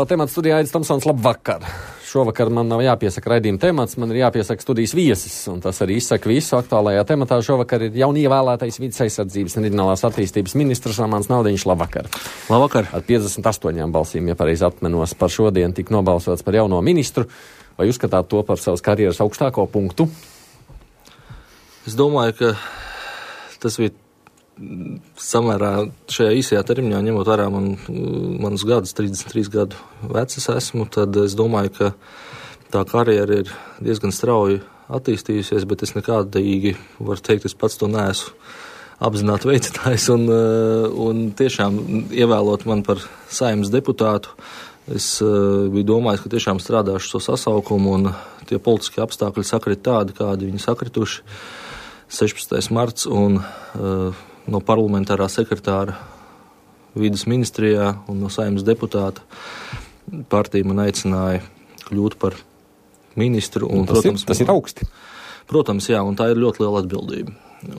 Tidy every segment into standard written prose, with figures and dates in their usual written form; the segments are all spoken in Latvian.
Aktuālā temata studijā Aidis Tomsons, labvakar. Šovakar man nav jāpiesaka raidījuma temats, man ir jāpiesaka studijas viesis, un tas arī izsaka visu. Aktuālajā tematā šovakar ir jaunievēlētais vides aizsardzības un reģionālās attīstības ministrs Ramāns Naudiņš. Labvakar. Labvakar. Ar 58 balsīm, ja pareizi atmenos, par šodien tika nobalsots par jauno ministru. Vai uzskatāt to par savas karjeras augstāko punktu? Es domāju, ka tas bija samērā šajā īsajā termiņā, ņemot vērā manus gadus, 33 gadu vecs es esmu, tad es domāju, ka tā karjera ir diezgan strauji attīstījusies, bet es nekādīgi, varu teikt, es pats to neesmu apzināti veicinājis, un tiešām ievēlot man par Saeimas deputātu, es biju domājis, ka tiešām strādāšu to sasaukumu, un tie politiskie apstākļi sakrit tādi, kādi viņi sakrituši. 16. marts un no parlamentārā sekretāra vides ministrijā un no Saeimas deputāta partija man aicināja kļūt par ministru. Un, tas ir augsti. Protams, jā, un tā ir ļoti liela atbildība.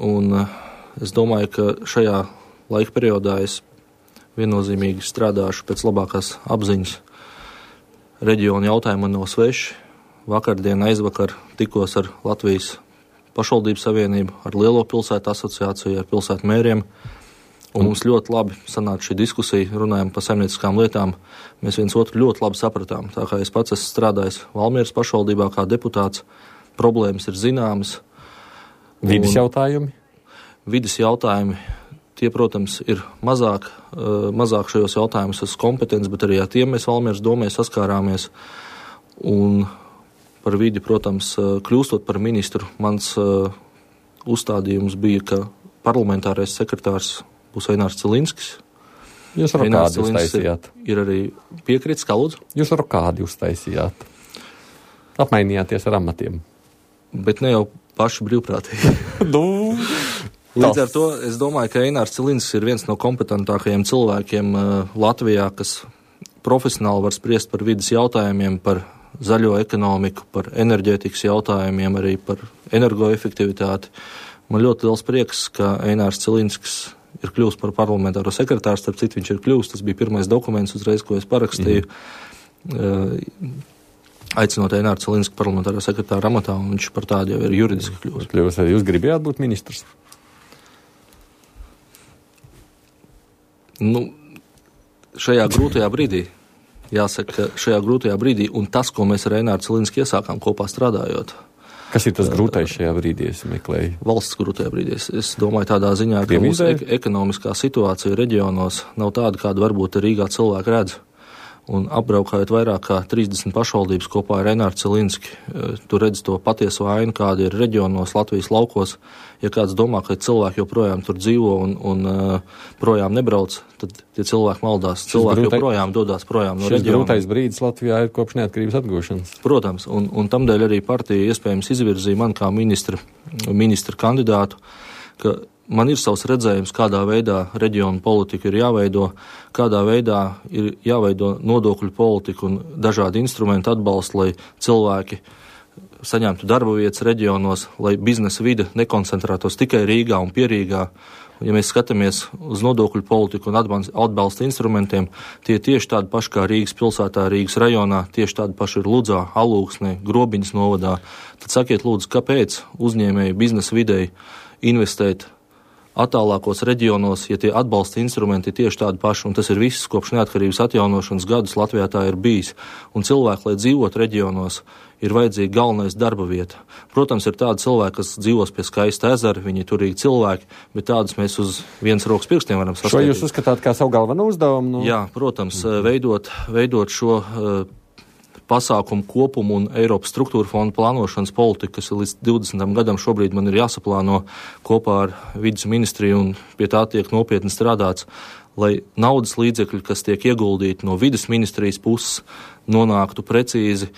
Un es domāju, ka šajā laika periodā es viennozīmīgi strādāšu pēc labākās apziņas. Reģiona jautājumi man nav sveši. Vakardien, aizvakar tikos ar Latvijas pašvaldību savienību, ar Lielo pilsētu asociāciju, ar pilsētu mēriem. Un mums ļoti labi sanāca šī diskusija, runājam par saimnieciskām lietām. Mēs viens otru ļoti labi sapratām. Tā kā es pats esmu strādājis Valmieras pašvaldībā kā deputāts, problēmas ir zināmas. Vides jautājumi? Vides jautājumi, tie, protams, ir mazāk šajos jautājumus esmu kompetents, bet arī ar tiem mēs Valmieras domē saskārāmies. Un par vidi, protams, kļūstot par ministru, mans uzstādījums bija, ka parlamentārais sekretārs būs Einārs Cilinskis. Jūs ar kādi uztaisījāt? Ir arī piekritis, kā lūdzu? Jūs ar kādi uztaisījāt? Apmainījāties ar amatiem? Bet ne jau paši brīvprātīgi. Līdz ar to es domāju, ka Einārs Cilinskis ir viens no kompetentākajiem cilvēkiem Latvijā, kas profesionāli var spriest par vides jautājumiem, par zaļo ekonomiku, par enerģētikas jautājumiem, arī par energoefektivitāti. Man ļoti liels prieks, ka Einārs Cilinskis ir kļūst par parlamentāro sekretāru, starp citu viņš ir kļūst, tas bija pirmais dokuments uzreiz, ko es parakstīju, aicinot Eināru Cilinski parlamentāro sekretāru amatā, un viņš par tādu jau ir juridiski kļūst. Arī jūs gribējāt būt ministrs? Šajā grūtajā brīdī. Jāsaka, ka šajā grūtajā brīdī, un tas, ko mēs ar Eināru Cilinski iesākām kopā strādājot. Kas ir tas grūtais šajā brīdī, es meklēju? Valsts grūtajā brīdī. Es domāju tādā ziņā, ka mūsu ekonomiskā situācija reģionos nav tāda, kāda varbūt Rīgā cilvēki redz. Un apbraukājot vairāk kā 30 pašvaldības kopā ar Eināru Cilinski, tu redzi to patieso ainu, kāda ir reģionos, Latvijas laukos. Ja kāds domā, ka cilvēki joprojām tur dzīvo un projām nebrauc, tad tie cilvēki maldās. Cilvēki joprojām dodās projām no reģiona. Šis grūtais brīdis Latvijā ir kopš neatkarības atgūšanas. Protams, un tamdēļ arī partija iespējams izvirzīja man kā ministra kandidātu, ka man ir savs redzējums, kādā veidā reģionu politika ir jāveido, kādā veidā ir jāveido nodokļu politika un dažādi instrumenti atbalsta, lai cilvēki saņemtu darba vietas reģionos, lai biznesa vide nekoncentrētos tikai Rīgā un Pierīgā. Ja mēs skatāmies uz nodokļu politiku un atbalsta instrumentiem, tie tieši tādi paši kā Rīgas pilsētā, Rīgas rajonā, tieši tādi paši ir Ludzā, Alūksnē, Grobiņas novadā. Tad sakiet lūdzu, kāpēc uzņēmēji biznesa videi investēt attālākos reģionos, ja tie atbalsta instrumenti ir tieši tādi paši, un tas ir viss kopš neatkarības atjaunošanas gadus Latvijā tā ir bijis. Un cilvēki, lai dzīvot reģionos, ir vajadzīga galvenais darba vieta. Protams, ir tādi cilvēki, kas dzīvos pie skaista ezera, viņi ir turīgi cilvēki, bet tādus mēs uz vienas rokas pirkstiem varam saskaitīt. Šo jūs uzskatāt kā savu galveno uzdevumu? Jā, protams, veidot šo pasākumu kopumu un Eiropas struktūra fonda plānošanas politiku, kas līdz 20. gadam šobrīd man ir jāsaplāno kopā ar vides ministriju, un pie tā tiek nopietni strādāts, lai naudas līdzekļi, kas tiek ieguldīti no vides ministrijas puses, nonāktu precīzi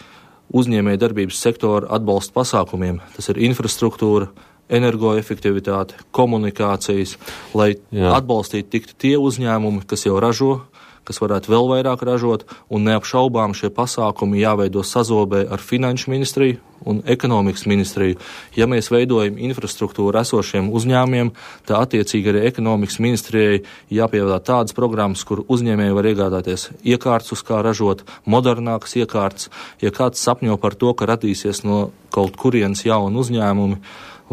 uzņēmēja darbības sektora atbalsta pasākumiem. Tas ir infrastruktūra, energoefektivitāte, komunikācijas, lai atbalstītu tiktu tie uzņēmumi, kas jau ražo, kas varētu vēl vairāk ražot, un neapšaubām šie pasākumi jāveido sazobē ar Finanšu ministriju un Ekonomikas ministriju. Ja mēs veidojam infrastruktūru esošiem uzņēmumiem, tā attiecīgi arī Ekonomikas ministrijai jāpievādā tādas programmas, kur uzņēmēji var iegādāties iekārtas, uz kā ražot, modernākas iekārtas. Ja kāds sapņo par to, ka radīsies no kaut kurienes jauni uzņēmumi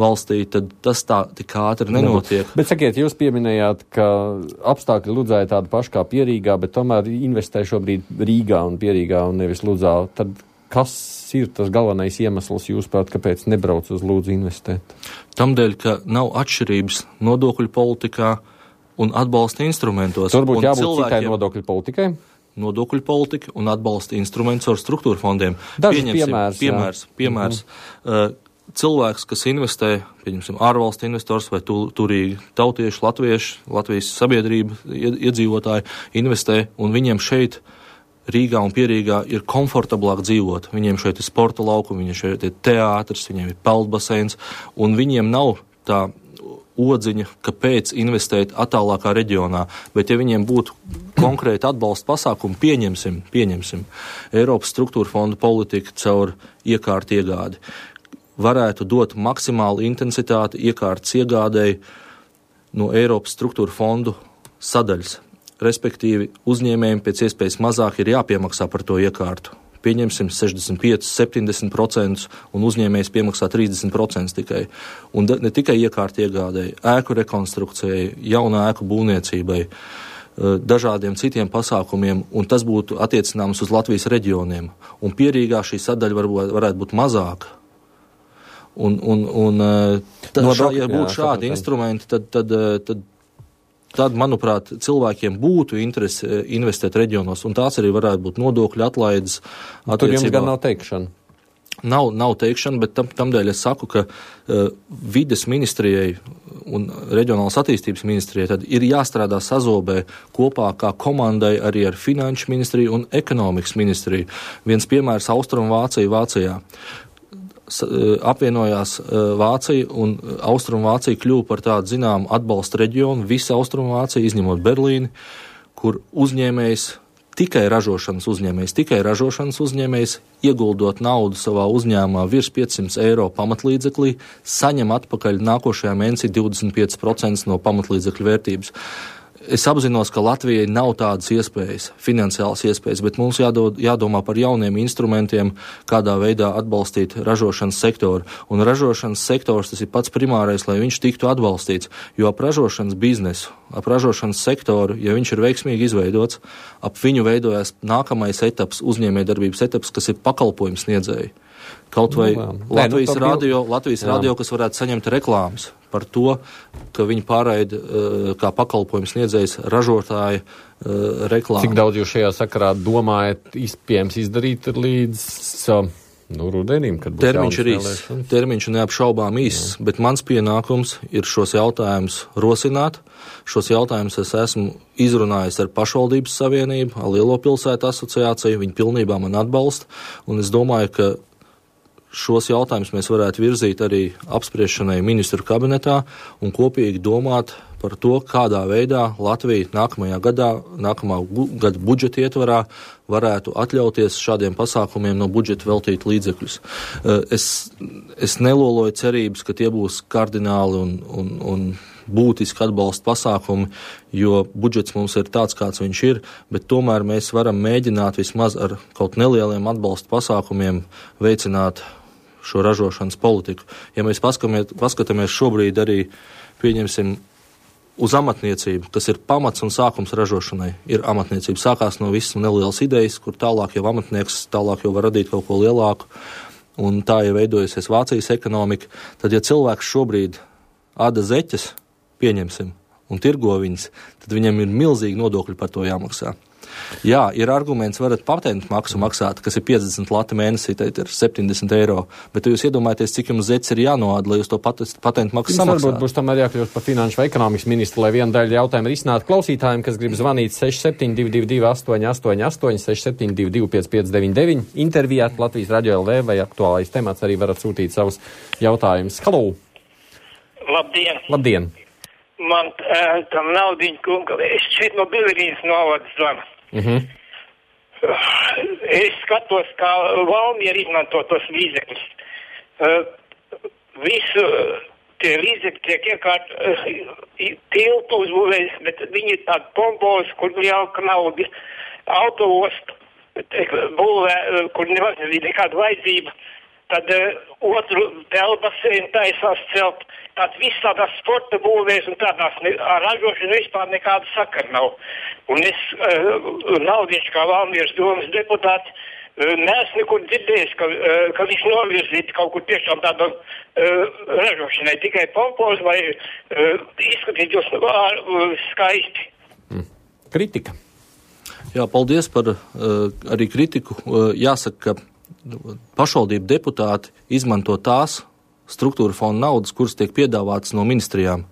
valstī, tad tas tā tik ātri nenotiek. Bet sakiet, jūs pieminējāt, ka apstākļi Ludzā ir tādi paši kā Pierīgā, bet tomēr investē šobrīd Rīgā un Pierīgā un nevis Ludzā. Tad kas ir tas galvenais iemesls, jūsuprāt, kāpēc nebrauc uz Ludzu investēt? Tamdēļ, ka nav atšķirības nodokļu politikā un atbalsta instrumentos. Turbūt jābūt citai nodokļu politikai? Nodokļu politika un atbalsta instruments ar struktūra fondiem. Piemērs. Cilvēks, kas investē, pieņemsim, ārvalstu investors vai turīgi tautieši, latvieši, Latvijas sabiedrība, iedzīvotāji investē, un viņiem šeit Rīgā un Pierīgā ir komfortablāk dzīvot. Viņiem šeit ir sporta laukumi, viņiem šeit ir teātris, viņiem ir peldbaseins, un viņiem nav tā odziņa, kāpēc investēt attālākā reģionā. Bet ja viņiem būtu konkrēti atbalsta pasākumi, pieņemsim Eiropas struktūra fonda politika caur iekārtu iegādi, varētu dot maksimālu intensitāti iekārtas iegādēji no Eiropas struktūra fondu sadaļas. Respektīvi, uzņēmējiem pēc iespējas mazāk ir jāpiemaksā par to iekārtu. Pieņemsim 65-70% un uzņēmējs piemaksā 30% tikai. Un ne tikai iekārtu iegādēji, ēku rekonstrukcijai, jaunu ēku būvniecībai, dažādiem citiem pasākumiem, un tas būtu attiecināms uz Latvijas reģioniem. Un Pierīgā šī sadaļa varētu būt mazāka. Ja būtu šādi instrumenti, tad, manuprāt, cilvēkiem būtu interese investēt reģionos, un tās arī varētu būt nodokļu atlaides. Tur jums gan nav teikšana? Nav teikšana, bet tamdēļ es saku, ka vides ministrijai un reģionālas attīstības ministrijai tad ir jāstrādā sazobē kopā kā komandai arī ar Finanšu ministriju un Ekonomikas ministriju. Viens piemērs Vācijā. Apvienojās Vācija un Austrumvācija kļuva par tādu zināmu atbalsta reģionu, visa Austrumvācija, izņemot Berlīni, kur tikai ražošanas uzņēmējs, ieguldot naudu savā uzņēmumā virs 500 eiro pamatlīdzeklī, saņem atpakaļ nākošajā mēnesī 25% no pamatlīdzekļu vērtības. Es apzinos, ka Latvijai nav tādas iespējas, finansiālas iespējas, bet mums jādomā par jauniem instrumentiem, kādā veidā atbalstīt ražošanas sektoru. Un ražošanas sektors tas ir pats primārais, lai viņš tiktu atbalstīts, jo ap ražošanas biznesu, ap ražošanas sektoru, ja viņš ir veiksmīgi izveidots, ap viņu veidojas nākamais etaps, uzņēmējdarbības etaps, kas ir pakalpojums sniedzēji. Kaut vai Latvijas radio, kas varētu saņemt reklāmas par to, ka viņi pārraida kā pakalpojums sniedzējs ražotāja reklāmu. Cik daudz jūs šajā sakarā domājat iespējams izdarīt līdz rudenim, kad būs termiņš ir īss. Termiņš neapšaubām īss, bet mans pienākums ir šos jautājumus rosināt. Šos jautājumus es esmu izrunājis ar pašvaldības savienību, ar Lielo pilsētu asociāciju, viņi pilnībā man atbalsta, un es domāju, ka šos jautājumus mēs varētu virzīt arī apspriešanai ministru kabinetā un kopīgi domāt par to, kādā veidā Latvija nākamā gada budžeta ietvarā varētu atļauties šādiem pasākumiem no budžeta veltīt līdzekļus. Es neloloju cerības, ka tie būs kardināli un būtiski atbalsta pasākumi, jo budžets mums ir tāds, kāds viņš ir, bet tomēr mēs varam mēģināt vismaz ar kaut nelieliem atbalsta pasākumiem veicināt šo ražošanas politiku. Ja mēs paskatāmies šobrīd arī, pieņemsim, uz amatniecību, kas ir pamats un sākums ražošanai, ir amatniecība. Sākās no visas nelielas idejas, kur tālāk jau amatnieks tālāk jau var radīt kaut ko lielāku, un tā jau veidojusies Vācijas ekonomika. Tad, ja cilvēks šobrīd āda zeķes, pieņemsim, un tirgo viņas, tad viņam ir milzīgi nodokļi par to jāmaksā. Jā, ir arguments, varat patentu maksu maksāt, kas ir 50 lati mēnesī, tad ir 70 eiro, bet jūs iedomājaties, cik jums zeķes ir jānoāda, lai jūs to patentu maksu samaksātu. Varbūt būs tomēr jākļūst par finanšu vai ekonomikas ministru, lai viena daļa jautājumu risinātu klausītājiem, kas grib zvanīt 6722 888, 6722 5599, intervijāt Latvijas Radio LV vai aktuālais temats, arī varat sūtīt savus jautājumus. Halo! Labdien! Man tam naudiņu kunga, es šeit no Bilerīnas novada zvanu. Es skatos, kā Valmiera izmanto tos līdzekļus. Visu tie līdzekļi tiek tiltu uzbūvēs, bet viņi ir tādi pompozi, kur jauka nauda, autoostu būvē, kur nevajag nekāda vajadzība. Tad otru pelbasēnu taisās celt. Tātad viss tādās sporta būvēs un tādās ar ražošanu vispār nekāda sakara nav. Un es, Naudieši kā Valmieras domas deputāti, neesmu nekur dzirdējis, ka viņš novirzītu kaut kur tiešām tādu ražošanai, tikai pompoz vai izskatītos skaisti. Kritika. Jā, paldies par arī kritiku. Jāsaka, ka pašvaldību deputāti izmanto tās struktūra fonda naudas, kuras tiek piedāvātas no ministrijām.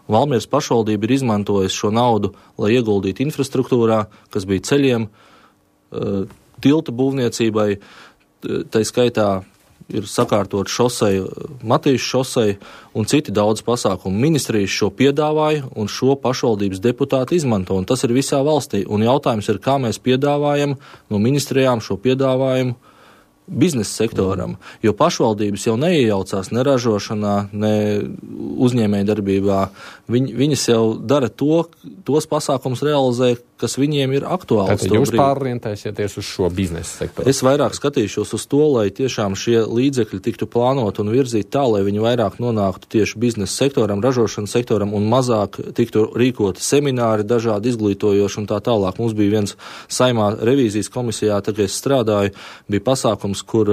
Valmieras pašvaldība ir izmantojusi šo naudu, lai ieguldītu infrastruktūrā, kas bija ceļiem, tilta būvniecībai, tai skaitā ir sakārtot šoseju, Matīšu šoseju un citi daudz pasākumu. Ministrijas šo piedāvāja un šo pašvaldības deputāti izmanto, un tas ir visā valstī. Un jautājums ir, kā mēs piedāvājam no ministrijām šo piedāvājumu biznesa sektoram, jo pašvaldības jau neiejaucās ne ražošanā, ne uzņēmējdarbībā. Viņas jau dara tos pasākums realizē, kas viņiem ir aktuāls. Tātad jūs pārorientēsieties uz šo biznesa sektoru? Es vairāk skatīšos uz to, lai tiešām šie līdzekļi tiktu plānot un virzīt tā, lai viņi vairāk nonāktu tieši biznesa sektoram, ražošanas sektoram un mazāk tiktu rīkoti semināri, dažādi izglītojoši un tā tālāk. Mums bija viens Saimā revīzijas komisijā, tad, kad es strādāju, bija pasākums, kur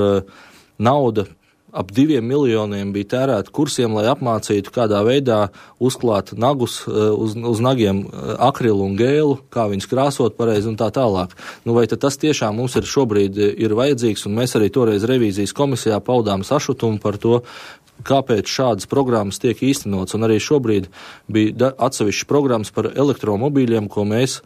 nauda ap 2 miljoniem bija tērēta kursiem, lai apmācītu, kādā veidā uzklāt nagus, uz nagiem akrilu un gēlu, kā viņus krāsot pareizi un tā tālāk. Nu, vai tad tas tiešām mums ir šobrīd ir vajadzīgs, un mēs arī toreiz revīzijas komisijā paudām sašutumu par to, kāpēc šādas programmas tiek īstenots, un arī šobrīd bija atsevišķas programmas par elektromobīļiem, ko mēs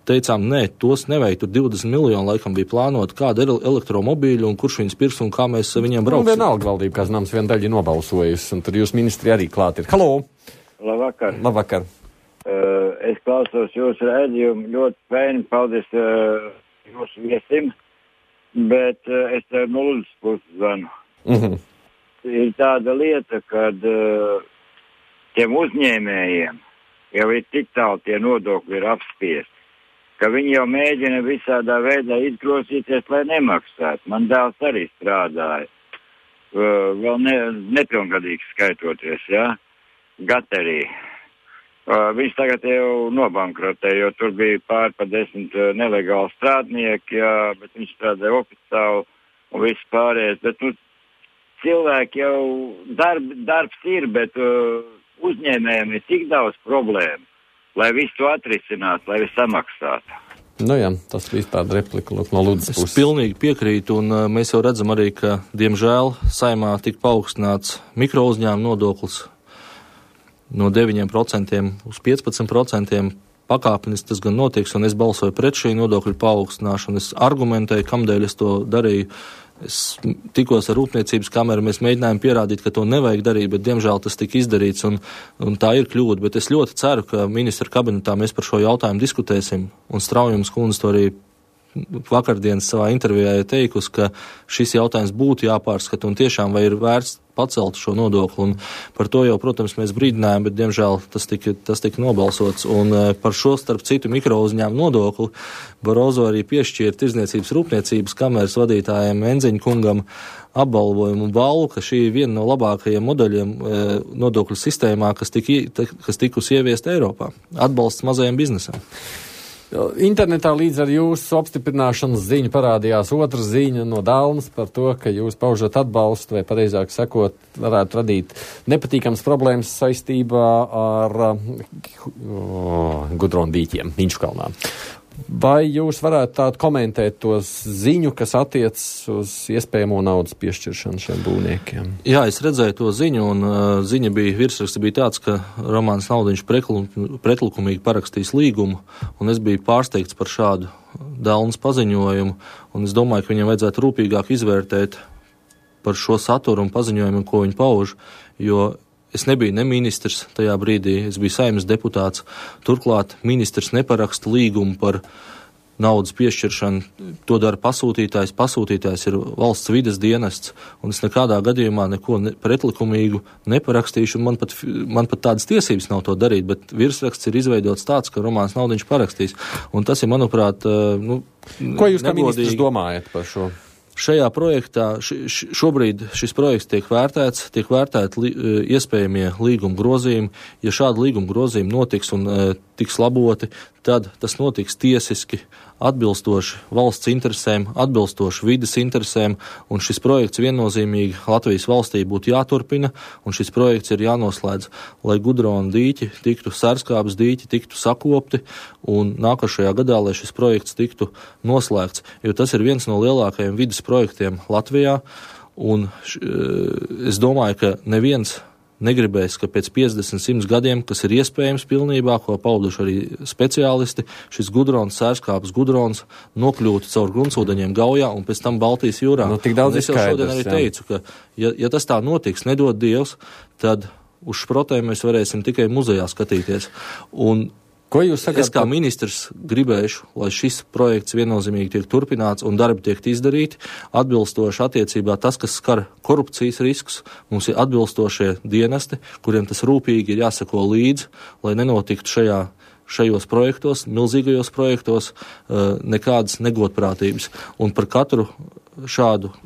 teicām, nē, tos nevajag, tur 20 miljoni laikam bija plānot, kāda ir elektromobīļa un kurš viņus pirks un kā mēs viņiem brauksim. Nu, vienalga valdība, kā zināms, viena daļa nobalsojusi, un tur jūs ministri arī klāt ir. Halo! Labvakar! Labvakar! Es klausos jūsu redzējumu, ļoti fēni, paldies jūsu viesim, bet es tev no Ludzas puses zvanu. Ir tāda lieta, kad tiem uzņēmējiem jau ir tik tālu tie nodokļi ir apspiesti, ka viņi jau mēģina visādā veidā izgrosīties, lai nemaksātu. Man dēls arī strādāja, vēl nepilngadīgs skaitoties, jā, Gaterī. Viņš tagad jau nobankrotē, jo tur bija pār pa 10 nelegāli strādnieki, jā, bet viņš strādāja oficiāli un viss pārējais. Bet, cilvēki jau darbs ir, bet uzņēmējiem ir tik daudz problēmu, lai visu to atrisinātu, lai visu samaksātu. Nu jā, tas bija tāda replika no Ludzas puses. Es pilnīgi piekrītu, un mēs jau redzam arī, ka, diemžēl, Saimā tika paaugstināts mikrouzņēmuma nodoklis no 9% uz 15%. Pakāpenis tas gan notiks, un es balsoju pret šī nodokļu paaugstināšanu. Es argumentēju, kamdēļ es to darīju. Es tikos ar Rūpniecības kameru, mēs mēģinājām pierādīt, ka to nevajag darīt, bet diemžēl tas tika izdarīts, un tā ir kļūda. Bet es ļoti ceru, ka ministra kabinetā mēs par šo jautājumu diskutēsim, un Straujums kundze to arī vakardienas savā intervijā ir teikusi, ka šis jautājums būtu jāpārskata un tiešām vai ir vērts pacelt šo nodokli. Un par to jau, protams, mēs brīdinājām, bet, diemžēl, tas tika nobalsots. Un par šo, starp citu, mikrouzņēmumu nodokli Barozo arī piešķīra Tirdzniecības Rūpniecības kameras vadītājiem Enziņa kungam apbalvojumu un balvu, ka šī ir viena no labākajiem modeļiem nodokļu sistēmā, kas tikusi ieviest Eiropā. Atbalsts mazajiem biznesam. Internetā līdz ar jūsu apstiprināšanas ziņu parādījās otra ziņa no Dalmas par to, ka jūs paužat atbalstu, vai pareizāk sakot, varētu radīt nepatīkams problēmas saistībā ar gudrondīķiem Inčukalnā. Vai jūs varētu tādu komentēt to ziņu, kas attiecas uz iespējamo naudas piešķiršanu šiem būvniekiem? Jā, es redzēju to ziņu, un ziņa bija, virsraksts bija tāds, ka Romāns Naudiņš pretlikumīgi parakstīs līgumu, un es biju pārsteigts par šādu Dalnas paziņojumu, un es domāju, ka viņam vajadzētu rūpīgāk izvērtēt par šo saturu un paziņojumu, ko viņi pauž, jo es nebiju ne ministrs tajā brīdī, es biju Saeimas deputāts. Turklāt ministrs neparaksta līgumu par naudas piešķiršana, to dara pasūtītājs. Pasūtītājs ir valsts vides dienests, un es nekādā gadījumā neko pretlikumīgu neparakstīšu, un man pat tādas tiesības nav to darīt, bet virsraksts ir izveidots tāds, ka Romāns Naudiņš parakstīs. Un tas ir, manuprāt, Ko jūs kā ministrs domājat par šo? Šajā projektā šobrīd šis projekts tiek vērtēti iespējamie līguma grozījumi. Ja šādi līguma grozījumi notiks un tiks laboti, tad tas notiks tiesiski, atbilstoši valsts interesēm, atbilstoši vides interesēm, un šis projekts viennozīmīgi Latvijas valstī būtu jāturpina, un šis projekts ir jānoslēdz, lai Gudrona dīķi tiktu, Sērskābes dīķi tiktu sakopti, un nākošajā gadā, lai šis projekts tiktu noslēgts, jo tas ir viens no lielākajiem vides projektiem Latvijā, un es domāju, ka neviens negribēs, ka pēc 50-100 gadiem, kas ir iespējams pilnībā, ko pauduši arī speciālisti, šis Gudronas, Sērskābes Gudronas nokļūtu caur gruntsūdeņiem Gaujā un pēc tam Baltijas jūrā. Tik daudz es jau šodien arī teicu, ka ja tas tā notiks, nedod Dievs, tad uz šprotēm mēs varēsim tikai muzejā skatīties. Un es kā ministrs gribēšu, lai šis projekts viennozīmīgi tiek turpināts un darbi tiek izdarīti atbilstoši attiecībā tas, kas skar korupcijas riskus. Mums ir atbilstošie dienesti, kuriem tas rūpīgi ir jāsako līdzi, lai nenotiktu šajos projektos, milzīgajos projektos, nekādas negodprātības. Un par katru šādu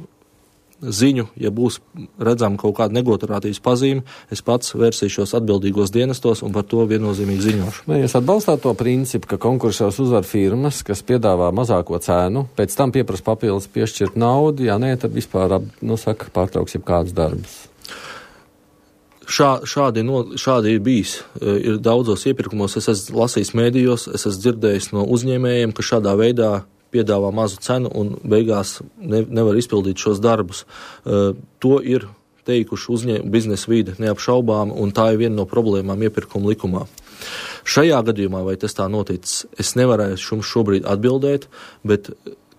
ziņu, ja būs redzama kaut kāda negodprātības pazīme, es pats vērsīšos atbildīgos dienestos un par to viennozīmīgi ziņošu. Vai jūs atbalstāt to principu, ka konkursos uzvar firmas, kas piedāvā mazāko cenu, pēc tam pieprasa papildus piešķirt naudu, ja nē, tad vispār, pārtrauks jebkādas darbus? Šādi ir bijis. Ir daudzos iepirkumos, es esmu lasījis mēdījos, es esmu dzirdējis no uzņēmējiem, ka šādā veidā piedāvā mazu cenu un beigās nevar izpildīt šos darbus. To ir teikuši biznesa vide neapšaubām, un tā ir viena no problēmām iepirkuma likumā. Šajā gadījumā, vai tas tā noticis, es nevarēšu šobrīd atbildēt, bet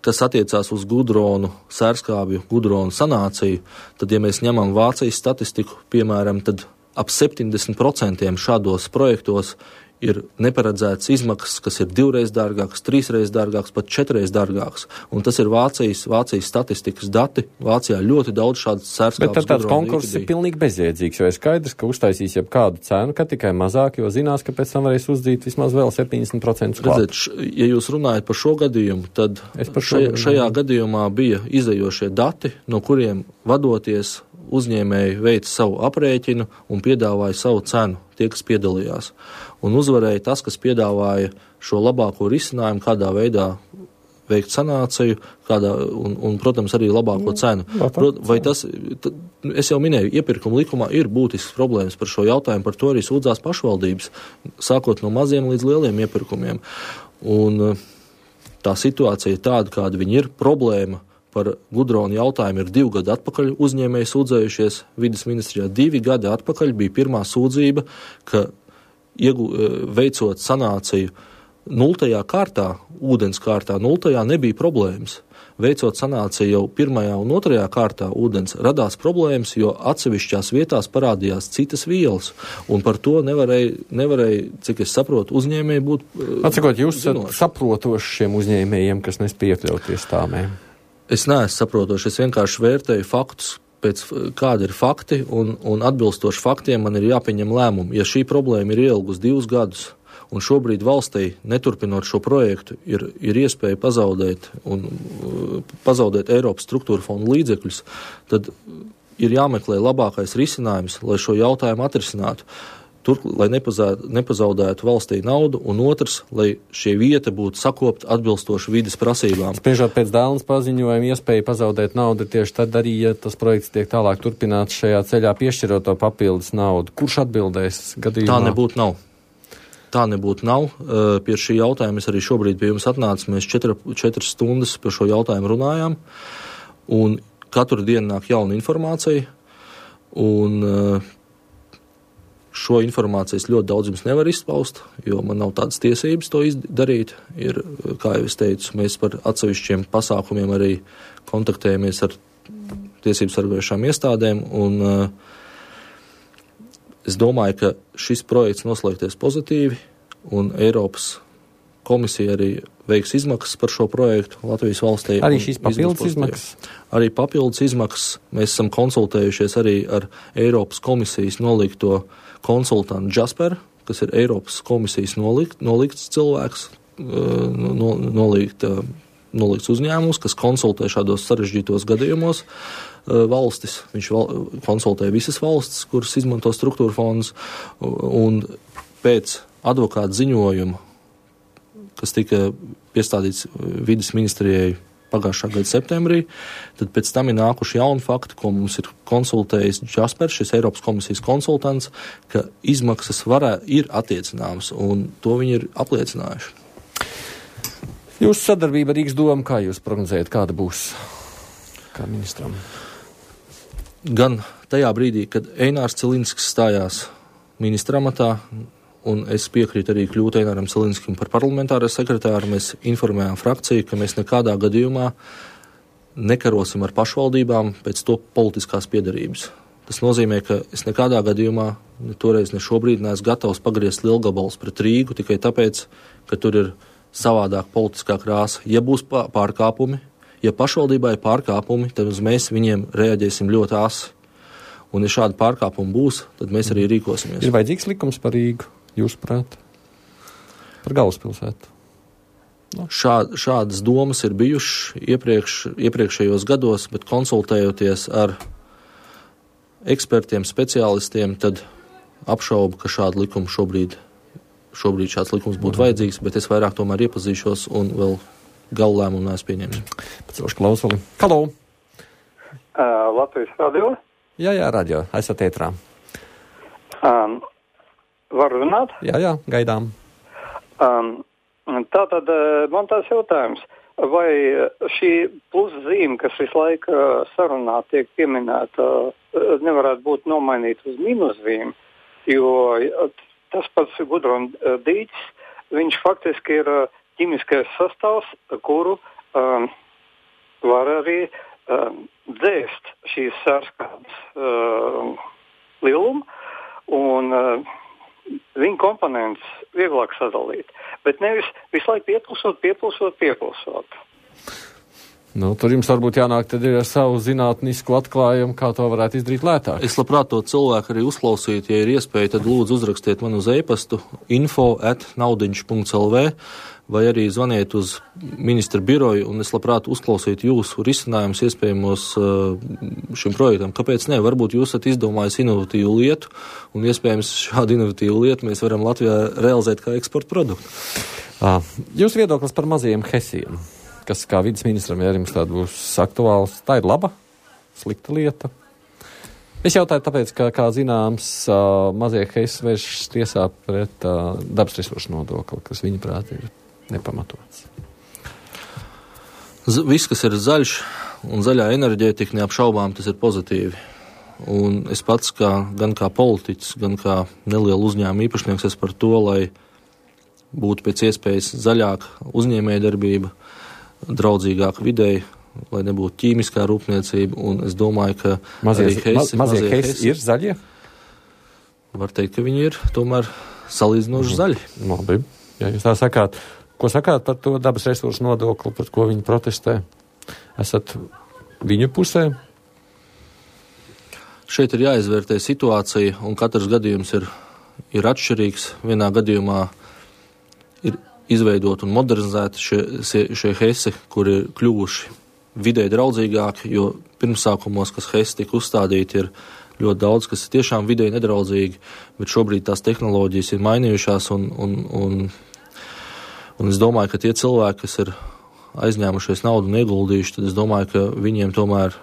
kas attiecās uz Gudronu, Sērskābju, Gudronu sanāciju, tad, ja mēs ņemam Vācijas statistiku, piemēram, tad ap 70% šādos projektos ir neparedzētas izmaksas, kas ir 2 dārgākas, 3 dārgākas, pat 4 dārgākas. Un tas ir Vācijas statistikas dati. Vācijā ļoti daudz šādas Sērskābes. Bet tad tāds konkurss ir pilnīgi bezjēdzīgs, jo ir skaidrs, ka uztaisīs jebkādu cenu, ka tikai mazāk, jo zinās, ka pēc tam varēs uzdzīt vismaz vēl 70% klāt. Redzēt, ja jūs runājat par šo gadījumu, tad šajā gadījumā bija izējošie dati, no kuriem vadoties uzņēmēji veica savu aprēķinu un piedāvāja savu cenu, tie, kas piedalījās. Un uzvarēja tas, kas piedāvāja šo labāko risinājumu, kādā veidā veikt sanāciju, un, protams, arī labāko cenu. Vai tas, es jau minēju, iepirkuma likumā ir būtisks problēmas par šo jautājumu, par to arī sūdzās pašvaldības, sākot no maziem līdz lieliem iepirkumiem. Un tā situācija ir tāda, kāda viņa ir. Problēma par Gudronu jautājumu ir 2 gadi atpakaļ uzņēmēji sūdzējušies vides ministrijā. 2 gadi atpakaļ bija pirmā sūdzība, ka veicot sanāciju 0. kārtā, ūdens kārtā 0. nebija problēmas. Veicot sanāciju jau 1. un 2. kārtā ūdens radās problēmas, jo atsevišķās vietās parādījās citas vielas, un par to nevarēja, cik es saprotu, uzņēmēji būt Atsakot, jūs saprotoši šiem uzņēmējiem, kas nespēj iekļauties tāmēm? Es neesmu saprotoši, es vienkārši vērtēju faktus, pēc kādi ir fakti, un atbilstoši faktiem man ir jāpieņem lēmumi. Ja šī problēma ir ielgus 2 gadus, un šobrīd valstī, neturpinot šo projektu, ir iespēja pazaudēt Eiropas struktūra fondu līdzekļus, tad ir jāmeklē labākais risinājums, lai šo jautājumu atrisinātu. Lai nepazaudētu valstī naudu, un otrs, lai šie vieta būtu sakopta atbilstoši vides prasībām. Spriežot pēc Dēlnes paziņojuma, iespēja pazaudēt naudu tieši tad arī, ja tas projekts tiek tālāk turpināts šajā ceļā, piešķirot to papildus naudu. Kurš atbildēs gadījumā? Tā nebūtu nav. Pie šī jautājuma es arī šobrīd pie jums atnācu. Mēs 4 stundas par šo jautājumu runājām, un katru dienu nāk jauna informācija, un šo informāciju es ļoti daudz jums nevaru izpaust, jo man nav tādas tiesības to darīt. Ir, kā jau es teicu, mēs par atsevišķiem pasākumiem arī kontaktējamies ar tiesību sargājošām iestādēm, un es domāju, ka šis projekts noslēgties pozitīvi, un Eiropas komisija arī veiks izmaksas par šo projektu Latvijas valstī. Arī šīs papildus izmaksas? Arī papildus izmaksas. Mēs esam konsultējušies arī ar Eiropas komisijas nolikto konsultantu Jasper, kas ir Eiropas komisijas nolikts cilvēks, nolikts uzņēmums, kas konsultē šādos sarežģītos gadījumos valstis. Viņš konsultē visas valstis, kuras izmanto struktūra fondus, un pēc advokāta ziņojuma, kas tika piestādīts vides ministrijai pagājušā gada septembrī, tad pēc tam ir nākuši jauni fakti, ko mums ir konsultējis Jaspers, šis Eiropas komisijas konsultants, ka izmaksas ir attiecināmas, un to viņi ir apliecinājuši. Jūsu sadarbība ar Rīgas domu, kā jūs prognozējat, kāda būs kā ministram? Gan tajā brīdī, kad Einārs Cilinskis stājās ministra amatā, un es piekrītu arī kļūt Eināram Cilinskim par parlamentāro sekretāru, mēs informējām frakciju, ka mēs nekādā gadījumā nekarosim ar pašvaldībām pēc to politiskās piedarības. Tas nozīmē, ka es nekādā gadījumā toreiz ne šobrīd neesmu gatavs pagriezt lielgabalus pret Rīgu tikai tāpēc, ka tur ir savādāk politiskā krāsa. Ja būs pārkāpumi, ja pašvaldībā ir pārkāpumi, tad mēs viņiem reaģēsim ļoti asi. Un ja šādi pārkāpumi būs, tad mēs arī rīkosimies. Ir vajadzīgs likums par Rīgu, jūsuprāt? Par galvaspilsētu? No. Šādas domas ir bijušas iepriekšējos gados, bet konsultējoties ar ekspertiem, speciālistiem, tad apšaubu, ka šādu likumu šobrīd šāds likums būtu vajadzīgs, bet es vairāk tomēr iepazīšos un vēl galu lēmumu neesmu pieņēmis. Pēc klausuli. Halo! Latvijas radio? Jā, radio. Esat ētrā. Varu runāt? Jā, gaidām. Tātad man tās jautājums, vai šī pluszīme, kas visu laiku sarunā tiek pieminēta, nevarētu būt nomainīta uz mīnuszīmi, jo tas pats Gudrun dīķis, viņš faktiski ir ķimiskais sastāvs, kuru var arī dzēst šīs sārskādas lielumu, un viņa komponents vieglāk sadalīt, bet nevis visu laiku piepulsot. Nu, tur jums varbūt jānāk tad ir ar savu zinātnisku atklājumu, kā to varētu izdarīt lētāk. Es labprāt to cilvēku arī uzklausītu, ja ir iespēja, tad lūdzu uzrakstiet man uz e-pastu info@naudiņš.lv vai arī zvaniet uz ministra biroju, un es labprāt uzklausītu jūsu risinājumus iespējamos šim projektam. Kāpēc ne? Varbūt jūs esat izdomājis inovatīvu lietu, un iespējams šādu inovatīvu lietu mēs varam Latvijā realizēt kā eksporta produktu. Jūs viedoklis par mazajiem hesiem, kas kā vides ministram, ja jums tāda būs aktuāls, tā ir laba, slikta lieta? Es jautāju tāpēc, ka, kā zināms, mazie hesi vēršas tiesā pret dabas resursu nodokli, kas viņa prāt ir nepamatots. Viss, kas ir zaļš un zaļā enerģētika, neapšaubām tas ir pozitīvi. Un es pats, gan kā politiķis, gan kā neliela uzņēmuma īpašnieks, es par to, lai būtu pēc iespējas zaļāka uzņēmējdarbība, draudzīgāk videi, lai nebūtu ķīmiskā rūpniecība, un es domāju, ka mazie hesi ir zaļie? Var teikt, ka viņi ir tomēr salīdzinoši zaļi. Labi, ja jūs tā sakāt. Ko sakāt par to dabas resursu nodokli, par ko viņi protestē? Esat viņu pusē? Šeit ir jāizvērtē situācija, un katrs gadījums ir atšķirīgs. Vienā gadījumā ir izveidot un modernizēt šie hesi, kuri ir kļuvuši vidē draudzīgāki, jo pirmsākumos, kas hesi tika uzstādīti, ir ļoti daudz, kas ir tiešām vidē nedraudzīgi, bet šobrīd tās tehnoloģijas ir mainījušās, un es domāju, ka tie cilvēki, kas ir aizņēmušies naudu un ieguldījuši, tad es domāju, ka viņiem tomēr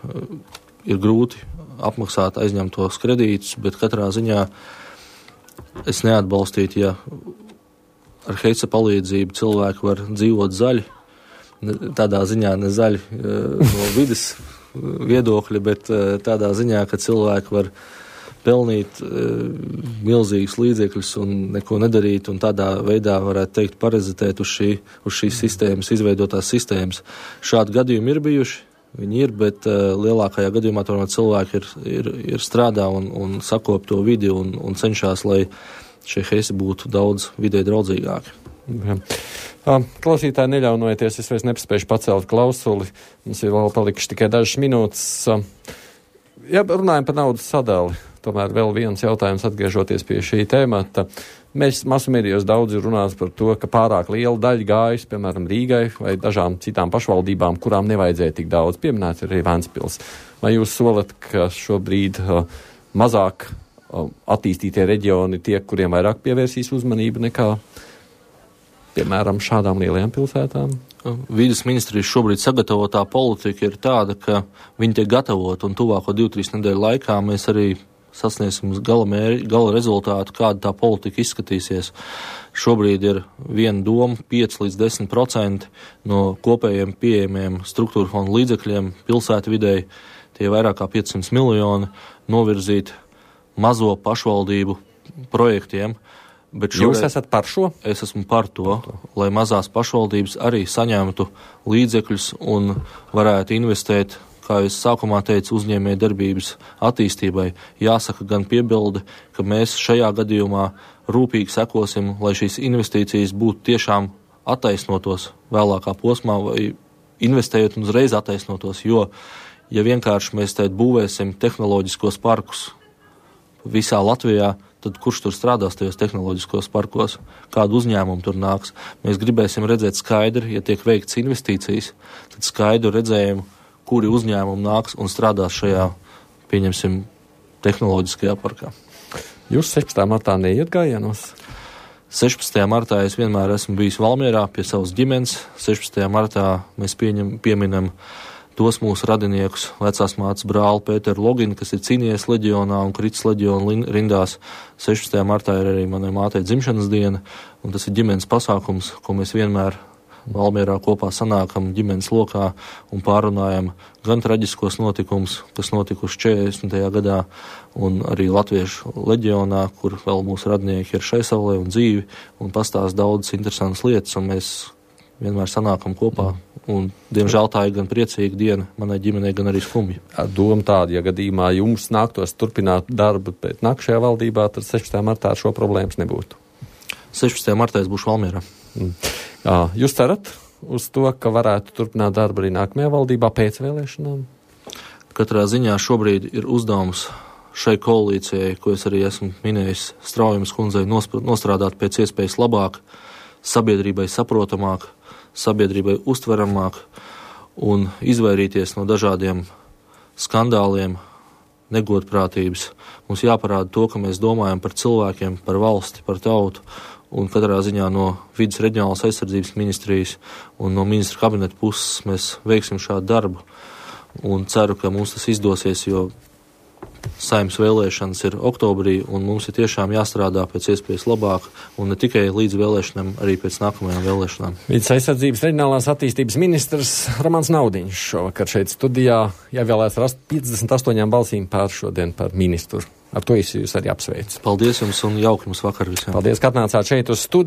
ir grūti apmaksāt aizņemtos kredītus, bet katrā ziņā es neatbalstītu, ja ar heisa palīdzību cilvēki var dzīvot zaļi, tādā ziņā ne zaļi no vides viedokļa, bet tādā ziņā, ka cilvēki var pelnīt milzīgus līdzekļus un neko nedarīt, un tādā veidā varētu teikt parazitēt uz šīs sistēmas, izveidotās sistēmas. Šādi gadījumi ir bijuši, viņi ir, bet lielākajā gadījumā tomēr cilvēki ir strādā un sakop to vidi un cenšas, lai šie heisi būtu daudz vidē draudzīgāki. Jā. Klausītāji, neļaunojieties, es vairs nepaspēšu pacelt klausuli. Mums ir vēl palikuši tikai dažas minūtes. Ja runājam par naudas sadali, tomēr vēl viens jautājums atgriežoties pie šī tēmata. Mēs masu medijos daudz ir runāts par to, ka pārāk liela daļa gājas, piemēram, Rīgai vai dažām citām pašvaldībām, kurām nevajadzēja tik daudz. Pieminēts arī Ventspils. Vai jūs solat, ka šobrīd mazāk attīstītie reģioni tie, kuriem vairāk pievērsīs uzmanību nekā, piemēram, šādām lielajām pilsētām? Vīdes ministrijas šobrīd sagatavotā politika ir tāda, ka viņi tiek gatavot, un tuvāko 2-3 nedēļu laikā mēs arī sasniegsim gala rezultātu, kāda tā politika izskatīsies. Šobrīd ir viena doma 5-10% no kopējiem pieejamiem struktūra fonda līdzekļiem pilsētvidei, tie vairāk kā 500 miljoni, novirzīt mazo pašvaldību projektiem. Bet Jūs esat par šo? Es esmu par to, lai mazās pašvaldības arī saņemtu līdzekļus un varētu investēt, kā es sākumā teicu, uzņēmēju darbības attīstībai. Jāsaka gan piebilde, ka mēs šajā gadījumā rūpīgi sekosim, lai šīs investīcijas būtu tiešām attaisnotos vēlākā posmā vai investējot un uzreiz attaisnotos, jo, ja vienkārši mēs tēt būvēsim tehnoloģiskos parkus visā Latvijā, tad kurš tur strādās tajos tehnoloģiskos parkos, kādu uzņēmumu tur nāks. Mēs gribēsim redzēt skaidri, ja tiek veikts investīcijas, tad skaidru redzējumu, kuri uzņēmumi nāks un strādās šajā, pieņemsim, tehnoloģiskajā parkā. Jūs 16. martā neiet gājienos? 16. martā es vienmēr esmu bijis Valmierā pie savas ģimenes. 16. martā mēs pieminam tos mūsu radiniekus, vecās mātes brāli Pēteru Loginu, kas ir cīnījies leģionā un kritis leģiona rindās. 16. martā ir arī manai mātei dzimšanas diena, un tas ir ģimenes pasākums, ko mēs vienmēr Valmierā kopā sanākam ģimenes lokā un pārunājam gan traģiskos notikumus, kas notikuši 40. gadā, un arī Latviešu leģionā, kur vēl mūsu radinieki ir šai saulē un dzīvi, un pastāst daudzas interesantas lietas, un mēs vienmēr sanākam kopā. Un, diemžēl, tā ir gan priecīga diena manai ģimenei, gan arī skumja. Doma tāda, ja gadījumā jums nāktos turpināt darbu pēc nākamajā valdībā, tad 16. martā šo problēmas nebūtu. 16. martā es būšu Valmierā. Jūs cerat uz to, ka varētu turpināt darbu arī nākamajā valdībā pēc vēlēšanām? Katrā ziņā šobrīd ir uzdevums šai koalīcijai, ko es arī esmu minējis Straujamas kundzei, nostrādāt pēc iespējas labāk, sabiedrībai saprotamāk, sabiedrībai uztveramāk un izvairīties no dažādiem skandāliem, negodprātības. Mums jāparāda to, ka mēs domājam par cilvēkiem, par valsti, par tautu, un katrā ziņā no vides reģionālās aizsardzības ministrijas un no ministra kabineta puses mēs veiksim šādu darbu. Un ceru, ka mums tas izdosies, jo Saeimas vēlēšanas ir oktobrī, un mums ir tiešām jāstrādā pēc iespējas labāk, un ne tikai līdz vēlēšanām, arī pēc nākamajām vēlēšanām. Vides aizsardzības reģionālās attīstības ministrs Romans Naudiņš šovakar šeit studijā ievēlēts ar 58 balsīm pār šodien par ministru. Ar to es jūs arī apsveicu. Paldies jums un jauki jums vakar visiem. Paldies, ka atnācāt šeit uz studiju.